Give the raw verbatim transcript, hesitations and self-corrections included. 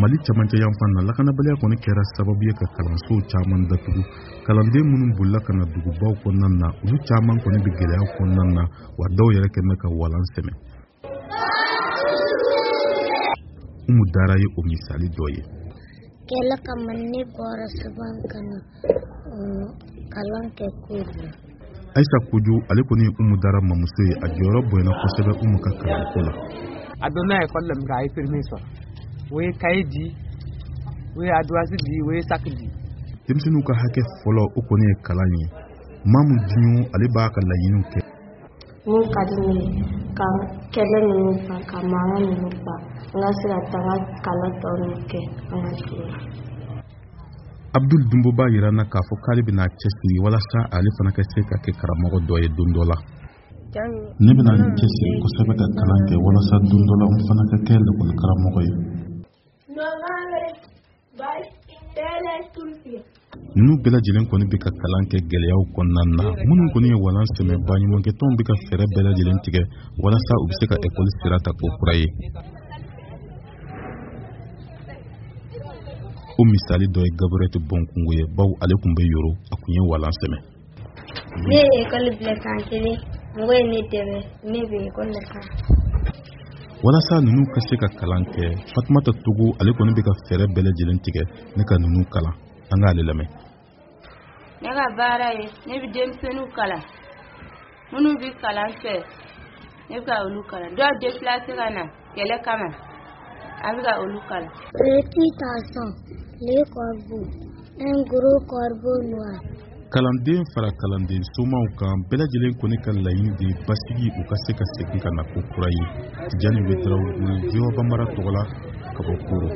Mali camancɛ yanfan na, lakanabaliya kɔni kɛra sababu ye ka kalansow caman datugu. Kalanden minnu bolila ka na dugubaw kɔnɔna na, olu caman kɔni bɛ gɛlɛya kɔnɔna na, wa dɔw yɛrɛ kɛn bɛ ka walan sɛmɛ. Umu Dara ye o misali dɔ ye. Kɛlɛ kama ne bɔra Suban ka na kalan kɛ Koro. Ayisa Kojo, ale kɔni ye Umu Dara mamuso ye, a jɔyɔrɔ bonyana kosɛbɛ Umu ka kalanko la. A donna ekɔli la min kɛ, a ye permis sɔrɔ, o ye kaye di, o ye ardoise di, o ye sac di. Denmisɛnninw ka hakɛ fɔlɔ, o kɔni ye kalan ye. Mamu Diɲo, ale b'a ka laɲiniw kɛ. Mun ka di ne ye, ka kɛlɛ ninnu ban, ka mankan ninnu ban, n ka se ka taa n ka kalan tɔ ninnu kɛ an ka dugu la. Abdul Dunbo b'a yira n na k'a fɔ k'ale bɛna a cɛsiri walasa ale fana ka se ka kɛ karamɔgɔ dɔ ye don dɔ la. Ne bɛna n cɛsiri kosɛbɛ ka kalan kɛ walasa don dɔ la n fana ka kɛ lakɔli karamɔgɔ ye. Ninnu bɛɛ lajɛlen kɔni bɛ ka kalan kɛ gɛlɛyaw kɔnɔna na. Minnu kɔni ye walan sɛmɛ, baɲumankɛtɔnw bɛ ka fɛɛrɛ bɛɛ lajɛlen tigɛ walasa u bɛ se ka ekɔli sira ta k'o kura ye. O misali dɔ ye Gabriel Bɔnkungo ye, bawo ale tun bɛ Yoro, a tun ye walan sɛmɛ. Ne ye ekɔli bila san kelen, mɔgɔ ye ne dɛmɛ, ne bɛ ekɔli la san. Walasa ninnu ka se ka kalan kɛ, Fatumata Togo, ale kɔni bɛ ka fɛɛrɛ bɛɛ lajɛlen tigɛ ne ka ninnu kalan. An k'ale lamɛn. Ne ka baara ye, ne bɛ denmisɛnninw kalan, minnu bɛ kalan fɛ, ne bɛ ka olu kalan. Dɔw déplacé ka na kɛlɛ kama, an bɛ ka olu kalan. Petit garçon, le corbeau, un gros corbeau noir. Kalanden fara kalanden somaw kan, bɛɛ lajɛlen kɔni ka laɲini de ye basigi, u ka se ka segin ka na ko kura ye. Tijani Wedarawogo, V O A Bambara tɔgɔ la, ka bɔ Koro.